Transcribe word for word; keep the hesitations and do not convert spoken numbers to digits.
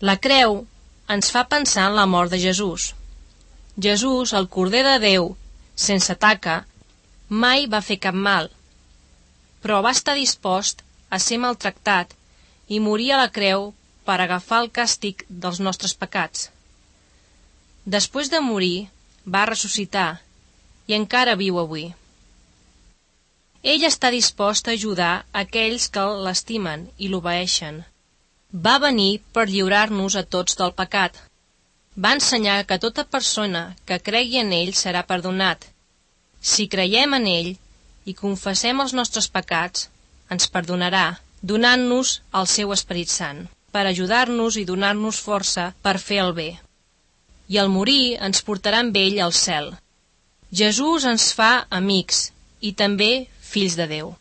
La creu ens fa pensar en la mort de Jesús. Jesús, el Corder de Déu, sense taca, mai va fer cap mal, però va estar dispost a ser maltractat i morir a la creu per agafar el càstig dels nostres pecats. Després de morir, va ressuscitar i encara viu avui. Ell està dispost a ajudar aquells que l'estimen i l'obeeixen. Va venir per lliurar-nos a tots del pecat. Va ensenyar que tota persona que cregui en ell serà perdonat. Si creiem en ell i confessem els nostres pecats, ens perdonarà, donant-nos el seu Esperit Sant, per ajudar-nos i donar-nos força per fer el bé. I al morir ens portarà amb ell al cel. Jesús ens fa amics i també fills de Déu.